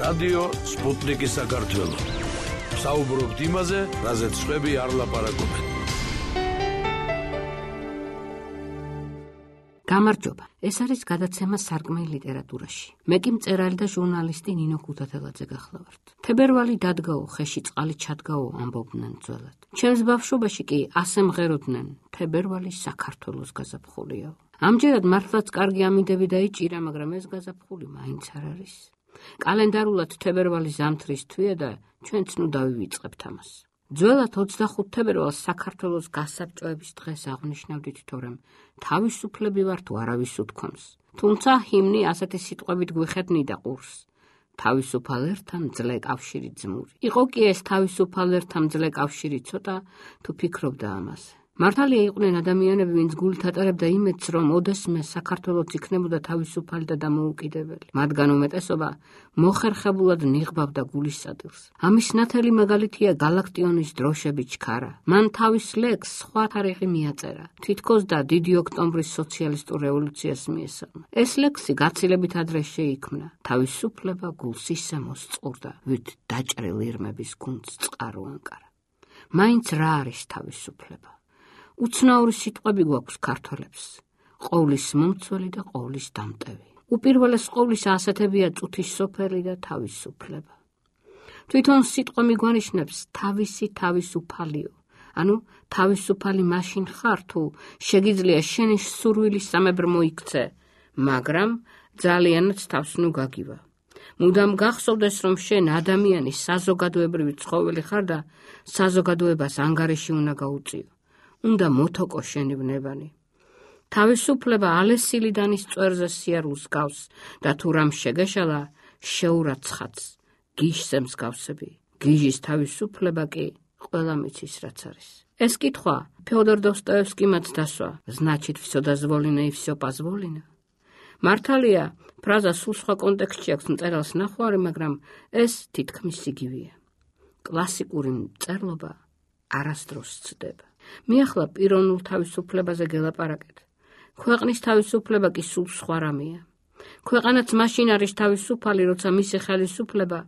რადიო სპუტნიკი საქართველო. საუბრობთ იმაზე, რაზეც სხვები არ ლაპარაკობენ. გამარჯობა. ეს არის გადაცემა სარკმელი ლიტერატურაში. მე კი მწერალი და ჟურნალისტი ნინო ქუთათელაძე გახლავართ. თებერვალი დადგაო, ხეში წყალი ჩადგაო, ამბობდნენ ძველად. ჩემს ბავშვობაში კი ასე მღეროდნენ, თებერვალი საქართველოს გაზაფხულია. ამჯერად მართლაც კარგი ამინდები დაიჭირა, მაგრამ ეს გაზაფხული მაინც არ არის. კალენდარულად თებერვალი ზამთრის თვეა და ჩვენც ნუ დავივიწყებთ ამას. ძველად 25 თებერვალს საქართველოს გასაბჭოების დღეს აღნიშნავდით, თორემ თავისუფლები ვარ თუ არავის უთქვამს. თუმცა ჰიმნი ასეთი სიტყვებით გვიხედნიდა ყურს. თავისუფალ ერთა მძლე კავშირი ძმური. იყო კი ეს თავისუფალ ერთა მძლე კავშირი ცოტა თუ ფიქრობდა ამაზე. მართალია იყვნენ ადამიანები, ვინც გულით ატარებდა იმედს, რომ ოდესმე საქართველოც იქნებოდა თავისუფალი და დამოუკიდებელი. მათგან უმეტესობა მოხერხებულად ნიღბავდა გულის სადილს. ამის ნათელი მაგალითია გალაქტიონის დროშები ჩქარა. მან თავის ლექსს სხვა თარიღი მიაწერა, თითქოს და დიდი ოქტომბრის სოციალისტურ რევოლუციას მიესალმა. ეს ლექსი გაცილებით ადრე შეიქმნა. თავისუფლება გულს ისე მოსწყურდა, ვით დაჭრილ ირმების გუნდს წყარო ანკარა. მაინც რა არის თავისუფლება? უცნაური სიტყვები გვაქვს ქართველებს. ყოვლის მომცველი და ყოვლის დამტევი. უპირველეს ყოვლისა ასეთებია წუთის სოფელი და თავისუფლება. თვითონ სიტყვა მიგვანიშნებს თავისი თავისუფალიო. ანუ თავისუფალი მაშინ ხარ, თუ შეგიძლია შენი სურვილის სამებრ მოიქცე, მაგრამ ძალიანაც თავს ნუ გაგივა. მუდამ გახსოვდეს, რომ შენ ადამიანის საზოგადოებრივი ცხოველი ხარ და საზოგადოებას ანგარიში უნდა გაუწიო. უნდა მოთოკო შენი ვნებანი. თავისუფლება ალესილიდანის წვერზე სიარულს გავს და თუ რამ შეგეშალა, შეურაცხაც გიჟზე მსგავსები. გიჟის თავისუფლება კი ყველა მიცის რაც არის. ეს კითხვა ფეოდორ დოსტოევსკიმაც დასვა. значит, всё дозволено и всё позволено. მართალია, ფრაზა სულ სხვა კონტექსტში აქვს მწერალს ნახვარი, მაგრამ ეს თითქმის იგივეა. კლასიკური მწერლობა არასდროს ცდება. მე ახლა პიროვნულ თავისუფლებაზე გელაპარაკეთ. ქვეყნის თავისუფლება კი სულ სხვა რამეა. ქვეყანაც მაშინ არის თავისუფალი, როცა მისი ხელისუფლება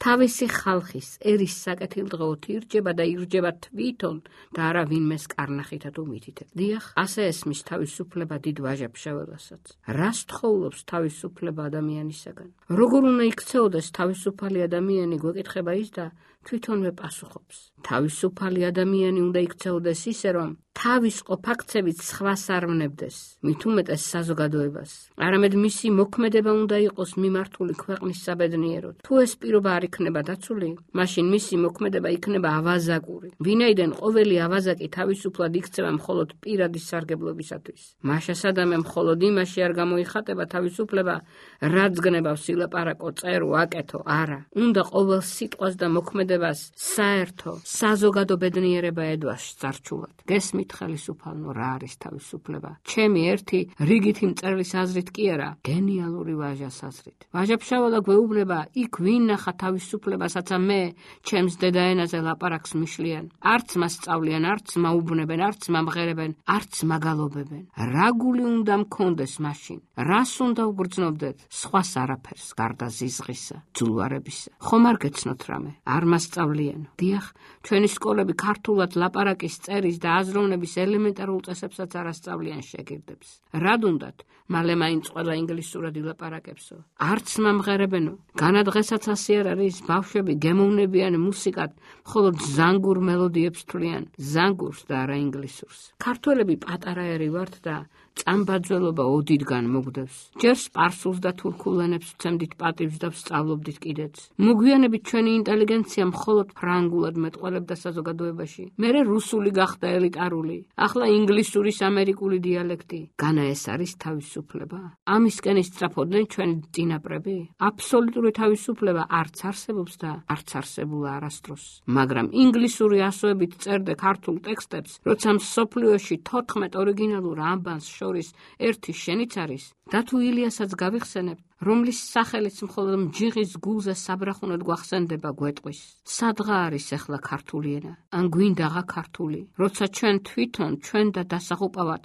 თავისი ხალხის ერის საკეთილდღეოდ ირჯება და ირჯება თვითონ და არა ვინმეს კარნახითა თუ მითითებით. დიახ, ასე ესმის თავისუფლება დიდ ვაჟა-ფშაველასაც. რას თხოვლობს თავისუფლება ადამიანისაგან? როგორ უნდა იქცეოდეს თავისუფალი ადამიანი, გვეკითხება ის და თვითონვე პასუხობს. თავისუფალი ადამიანი უნდა იქცეოდეს ისე, რომ თავის ყოფაქცევით სხვას არ ვნებდეს, მით უმეტეს საზოგადოებას. არამედ მისი მოქმედება უნდა იყოს მიმართული ქვეყნის საბედნიეროდ. თუ ეს პირობა არ იქნება დაცული, მაშინ მისი მოქმედება იქნება ავაზაკური. ვინაიდან ყოველი ავაზაკი თავისუფლად იქცევა მხოლოდ პირადი სარგებლობისათვის. მაშა სადამე მხოლოდ იმაში არ გამოიხატება თავისუფლება, რაც გნებავს ილაპარაკო, წერო, აკეთო, არა. უნდა ყოველ სიტყვას და მოქმედებას საერთო საზოგადო ბედნიერება ედვას წარჩულად. გესმით ხელისუფალო, რა არის თავისუფლება? ჩემი ერთი რიგითი მწერლის აზრით კი არა, გენიალური ვაჟას აზრით. ვაჟა-ფშაველა გვეუბნება, იქ ვინ ნახა თავისუფლებასაც მე ჩემს დედაენაზე ლაპარაკს მიშლიან. არც მას სწავლიან, არც მაუბნებენ, არც მამღერებენ, არც მაგალობებენ. რა გული უნდა მქონდეს მაშინ? რას უნდა უგრძნობდეთ? სხვას არაფერს, გარდა ზიზღისა, ძულვარებისა. ხომ არ გეცნოთ რამე? არ მასწავლიან. დიახ, ჩვენი სკოლები ქართულად ლაპარაკის, წერის და აზროვნების ელემენტარულ წესებსაც არ ასწავლიან შეგირდებს. რად უნდათ? მალე მაინც ყველა ინგლისურად ილაპარაკებსო. არც მამღერებენო. განადღესაც ასე არ არის, ბავშვები გემოვნებიან მუსიკად, მხოლოდ ზანგურ მელოდიებს თვლიან, ზანგურს და არა ინგლისურს. ქართველები პატარაერი ვართ და წამბაძველობა ოდითგან მოგდევს. ჯერ სპარსულს და თურქულ ენებს ვცემდით პატივს და ვსწავლობდით კიდეც. მოგვიანებით ჩვენი ინტელიგენცია მხოლოდ ფრანგულად მეტყველებდა საზოგადოებაში. მერე რუსული გახდა ელიტარული. ახლა ინგლისურის ამერიკული დიალექტი. განა ეს არის თავისუფლება? ამისკენ ისწრაფოდნენ ჩვენი წინაპრები? აბსოლუტური თავისუფლება არც არსებობს და არც არსებულა არასდროს. მაგრამ ინგლისური ასოებით წერდე ქართულ ტექსტებს, როცა მსოფლიოში 14 ორიგინალურ ამბანს შორის ერთი შენიც არის, და თუ ილიასაც გავიხსენებთ, რომლის სახელიც მხოლოდ მჯიღის გულზე საბრახუნოდ გვახსენდება გვეტყვის. სადღა არის ახლა ქართული ენა? ან გვინდაღა ქართული, როცა ჩვენ თვითონ ჩვენ და დასაღუპავად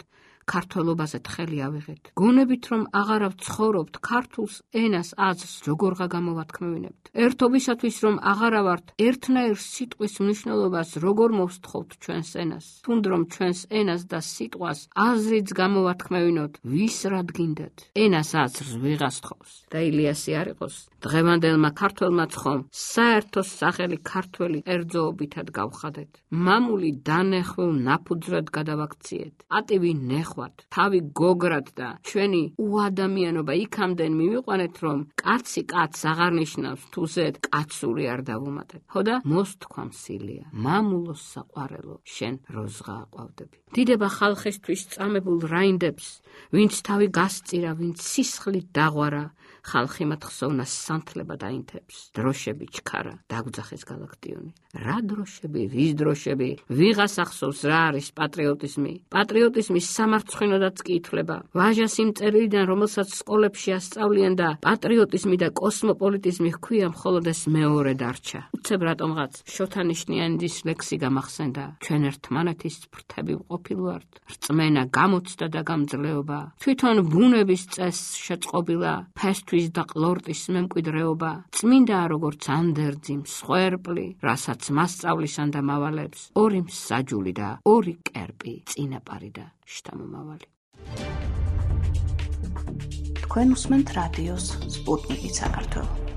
ქართველობაზე თხელი ავიღეთ. გონებით რომ აღარავ ცხოვრობთ ქართულს ენას აზრს როგორღა გამოვათქმევინებთ. ერთობისათვის რომ აღარა ვართ ერთნაირ სიტყვის მნიშვნელობას როგორ მოვსთხოვთ ჩვენს ენას. თუნდრომ ჩვენს ენას და სიტყვას აზრიც გამოვათქმევინოთ ვის რად გინდათ. ენას აზრს ვიღას თხოვს და ილიასი არ იყოს დღევანდელმა ქართველმაც ხომ საერთო სახელი ქართველი კერძოობითად გავხადეთ. მამული დანეხვევ ნაფუძრად გადავაქციეთ. პატივი ნეხვათ, თავი გოგრად და ჩვენი უადამიანობა იქამდენ მივიყვანეთ, რომ კაცი კაცს აღარ ნიშნავს, თუ ზედ კაცური არ დავუმატეთ. ხო და მოსთქვამ სილია, მამულო საყვარელო, შენ როზღა აყვავდები. დიდება ხალხისთვის წამებულ რაინდებს, ვინც თავი გასწირა, ვინც სისხლით დაღვარა, ხალხი მათ ხსოვნას სანთლება დაინთებს. დროშები ჩქარა, დაგვძახეს გალაქტიონი. რა დროშები, ვის დროშები, ვიღას ახსოვს რა არის პატრიოტიზმი. პატრიოტიზმის სამარცხვინოდაც კი ითვლება. ვაჟას იმ წერილიდან, რომელსაც სკოლებში ასწავლიან და პატრიოტიზმი და კოსმოპოლიტიზმი ჰქვია, მხოლოდ ეს მეორე დარჩა. უცებ რატომღაც შოთანიშნიანის ლექსი გამახსენდა. ჩვენ ერთმანეთის ფრთები ვყოფილ ვართ. რწმენა გამოცდა და გამძლეობა. თვითონ ბუნების წესს შეწყობილა ფესთვის და ყლორტის მემკვიდრეობა. წმინდაა როგორც ანდერძი, მსხვერპლი, რასაც მასწავლისან და მავალებს, ორი მსაჯული და ორი კერპი, წინაპარი და შთამომავალი. თქვენ უსმენთ რადიოს სპუტნიკი საქართველო.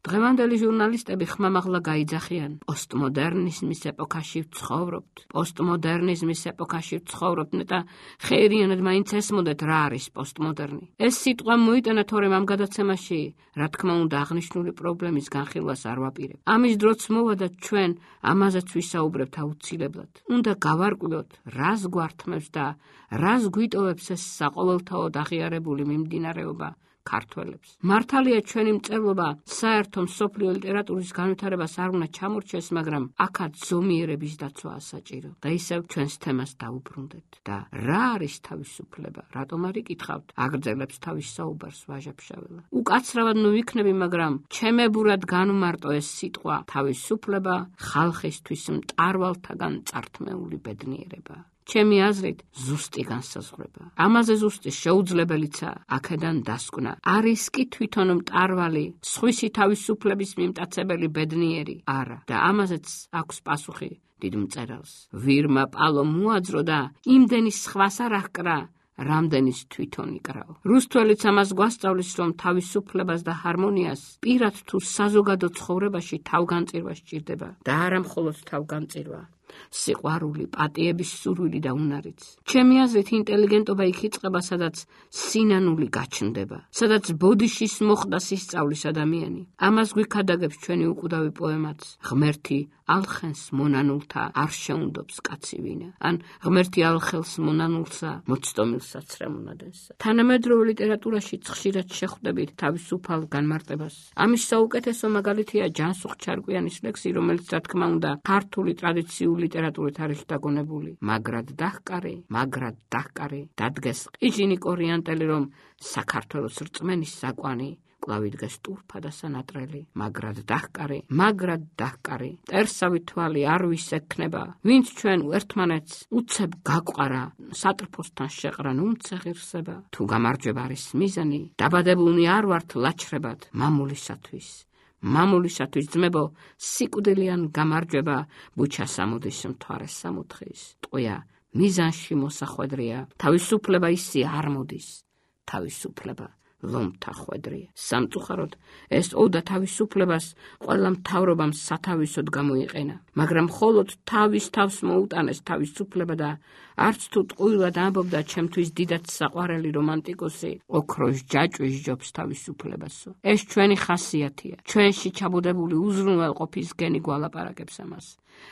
დღევანდელი ჟურნალისტები ხმამაღლა გაიძახიან. პოსტმოდერნიზმის ეპოქაში ვცხოვრობთ. პოსტმოდერნიზმის ეპოქაში ვცხოვრობთ და ხეირიანად მაინც ესმოდეთ რა არის პოსტმოდერნი. ეს სიტყვა მოიტანა, თორემ ამ გადაცემაში, რა თქმა უნდა, აღნიშნული პრობლემის განხილვას არ ვაპირებ. ამის დროც მოვა და ჩვენ ამაზეც ვისაუბრებთ აუცილებლად. უნდა გავარკვიოთ, რას გვართმევს და რას გვიტოვებს ეს საყოველთაოდ აღიარებული მიმდინარეობა ქართველებს. მართალია ჩვენი მწერლობა საერთო მსოფლიო ლიტერატურის განვითარებას არ უნდა ჩამორჩეს, მაგრამ აქაც ზომიერების დაცვაა საჭირო. და ისევ ჩვენს თემას დაუბრუნდეთ. და რა არის თავისუფლება? რატომ არ იკითხავთ? აგრძელებს თავის საუბარს ვაჟა-ფშაველა. უკაცრავად ნუ ვიქნები, მაგრამ ჩემებურად განვმარტო ეს სიტყვა თავისუფლება ხალხისთვის მტარვალთაგან წართმეული ბედნიერება. ჩემი აზრით ზუსტი განსაზღვრება. ამაზე ზუსტი შეუძლებელიცაა აქედან დასკვნა. არის კი თვითონ მტარვალი, სხვისი თავისუფლების მიმტაცებელი ბედნიერი? არა. და ამაზეც აქვს პასუხი დიდ მწერალს. ვირმა პალო მოაძრო და იმდენი სხვას არ აღკრა, რამდენის თვითონ იკრავ. რუსთველიც ამას გვასწავლის, რომ თავისუფლებას და ჰარმონიას პირად თუ საზოგადო ცხოვრებაში თავგანწირვა სჭირდება და არა მხოლოდ თავგანწირვა. სიყვარული, პატიების სურვილი და უნარიც. ჩემი აზრით ინტელიგენტობა იქ იწყება, სადაც სინანული გაჩნდება, სადაც ბოდიშის მოხდას ისწავლის ადამიანი. ამას გვიქადაგებს ჩვენი უკვდავი პოემაც. ღმერთი ალხენს მონანულთა არ შეუნდობს კაცი ვინა. ან ღმერთი ალხელს მონანულსა, მოცდომილსაც რემონადენსა. თანამედროვე ლიტერატურაშიც ხშირად შეხვდებით თავისუფალ განმარტებას. ამის საუკეთესო მაგალითია ჯანსუღ ჩარკვიანის ლექსი, რომელიც რა თქმა უნდა ქართული ტრადიციული ლიტერატურით არის დაგონებული. მაგრად დაჰკარი, დადგეს ყიჟინი კორიანტელი, რომ საქართველოს რწმენის საკვანი კლავი დგეს ტურფა და სანატრელი. მაგრად დაჰკარი, ტერსავი თვალი არ ვისექნება, ვინც ჩვენ ერთმანეთს უცებ გაყვარა, სატრფოსთან შეყრან უმცეღირსება. თუ გამარჯვება არის მიზანი, დაბადებულნი არ ვართ ლაჩრებად მამულისათვის ძმებო, სიკვდილიან გამარჯვება ბუჩას ამოდის მთვარეს სამოთხის. ტყვია მიზანში მოსახვედრია, თავისუფლება ისი არ მოდის, თავისუფლება ლომთა ხვედრია. სამწუხაროდ ეს ოდა თავისუფლებას ყველა მთავრობამ სათავისოდ გამოიყენა, მაგრამ მხოლოდ თავის თავს მოუტანეს თავისუფლება და არც თუ ტყუილად ამბობდა ჩემთვის დიდად საყვარელი რომანტიკოსი, ოქროს ჯაჭვის ჯობს თავისუფლებასო. ეს ჩვენი ხასიათია, ჩვენში ჩაბუდებული უზრუნველყოფის გენი გვალაპარაკებს ამას.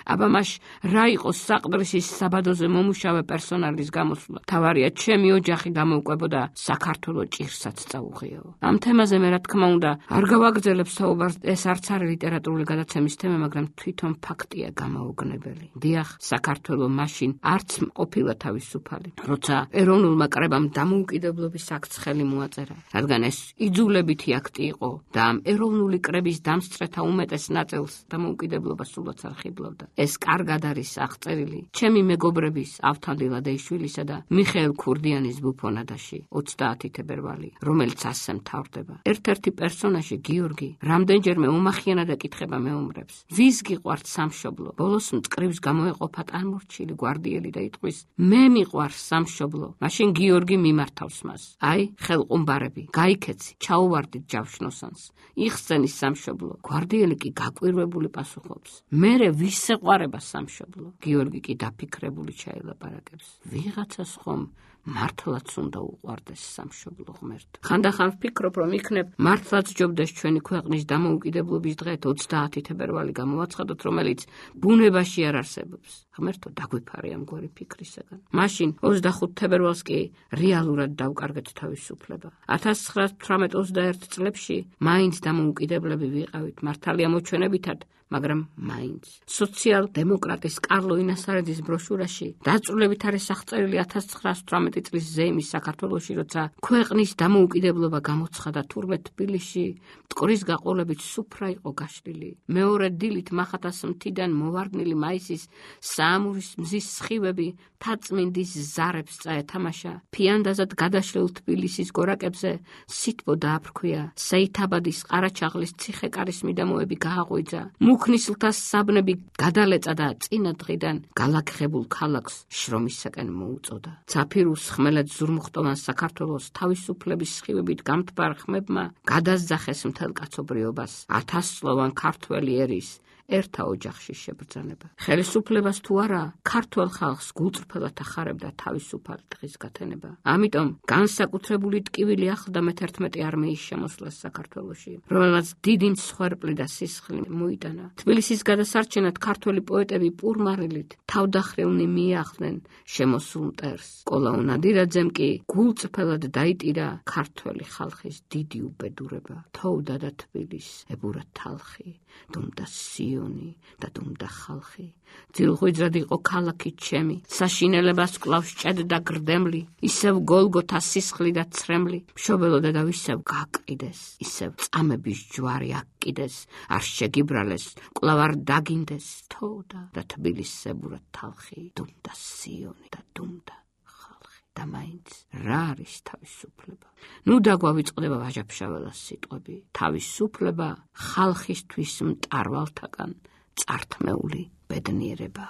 აბა მაშ რა იყოს საყდრისის საბადოზე მომუშავე პერსონალის გამოსვლა? თავარია ჩემი ოჯახი გამოვკვებოდა, საქართველო ჭირსაც წაუღიაო. ამ თემაზე მე რა თქმა უნდა არ გავაგრძელებ საუბარს, ეს არც არის ლიტერატურული გადაცემის თემა, მაგრამ თვითონ ფაქტია გამაოგნებელი. დიახ, საქართველო მაშინ არც ყოფილა თავისუფალი, როცა ეროვნულმა კრებამ დამოუკიდებლობის აქტს ხელი მოაწერა, რადგან ეს იძულებითი აქტი იყო და ამ ეროვნული კრების დამსწრეთა უმეტეს ნაწილს დამოუკიდებლობა სულაც არ ხიბლავდა. ახლავდა. ეს კარგად არის აღწერილი ჩემი მეგობრების ავთანდილ ადეიშვილისა და მიხეილ ქურდიანის ბუფონადაში 30 თებერვალი, რომელიც ასე მთავრდება. ერთ-ერთი პერსონაჟი გიორგი რამდენჯერმე უმახიანად ეკითხება მეომრებს: ვის გიყვართ სამშობლო? ბოლოს მწკრივს გამოეყოფა ტანმორჩილი გვარდიელი და იტყვის: მე მიყვარს სამშობლო. მაშინ გიორგი მიმართავს მას: აი, ხელყუმბარები, გაიქეცი, ჩაუვარდით ჯავშნოსანს, იხსენის სამშობლო. გვარდიელი კი გაკვირვებული პასუხობს: მერე ვის ეყვარება სამშობლო? გიორგი კი დაფიქრებული ჩაილაპარაკებს: ვიღაცას ხომ მართლაც უნდა უყვარდეს სამშობლო ღმერთო. ხანდახან ვფიქრობ, რომ იქნებ მართლაც ჯობდეს ჩვენი ქვეყნის დამოუკიდებლობის დღეთ 30 თებერვალი გამოვაცხადოთ, რომელიც ბუნებაში არ არსებობს. ღმერთო, დაგვიფარე ამგვარი ფიქრისაგან. მაშინ 25 თებერვალს კი რეალურად დავკარგეთ თავისუფლება. 1918-21 წლებში მაინც დამოუკიდებლები ვიყავით, მართალია მოჩვენებითად, მაგრამ მაინც. სოციალ-დემოკრატის კარლო ინასარიძის ბროშურაში დაწვრილებით არის აღწერილი 1918 წლის ზეიმის საქართველოში, როცა ქვეყნის დამოუკიდებლობა გამოცხადა, თურმე თბილისში მტკვრის გაყოლებით სუფრა იყო გაშლილი. მეორე დილით მახათას მთიდან მოვარდნილი მაისის საამურის მზის სხივები თაწმინდის ზარებს წაეთამაშა. ფიანდაზად გადაშლილ თბილისის გორაკებზე სითბო დააფრქვია. სეითაბადის ყარაჩაღლის ციხე-კარის მიდამოები გააღვიძა. მუქნისლთა საბნები გადალეწა და წინა დღიდან გალაგხებულ ქალაქს შრომისაკენ მოუწოდა. ცაფირუს ხმელეთ ზურმუხტოვან საქართველოს თავისუფლების სხივებით გამთბარ ხმებმა გადაზძახეს მთელ კაცობრიობას 1000-წლოვან ქართველი ერის ერთა ოჯახში შებრძანება. ხელისუფლებას თუ არა, ქართველ ხალხს გულწრფელად ახარებდა თავისუფალი დღის გათენება. ამიტომ განსაკუთრებული ტკივილი ახლდა მე-11 არმიის შემოსვლას საქართველოში, რომელმაც დიდი მსხვერპლი და სისხლი მოიტანა. თბილისის გადასარჩენად ქართველი პოეტები პურმარილით თავდახრილნი მიახლდნენ შემოსულ მტერს. კოლაუ ნადირაძემ კი გულწრფელად დაიტირა ქართველი ხალხის დიდი უბედურება. თოვდა და თბილის ებურა თალხი, დუმდა სიონი და დუმდა ხალხი. ძილღვიძრად იყო ქალაქი ჩემი, საშინელებას კლავს ჭედდა გრდემლი, ისევ გოლგოთა სისხლი და ცრემლი, მშობელოდა და ისევ გაყიდეს, ისევ წამების ჯვარი აკიდეს, არ შეგიბრალეს, კლავ არ დაგინდეს. თოვდა და თბილის ებურა თალხი, დუმდა სიონი და დუმდა და მაინც რა არის თავისუფლება? ნუ დაგვავიწყდება ვაჟა-ფშაველას სიტყვები. თავისუფლება ხალხისთვის მტარვალთაგან წართმეული ბედნიერება.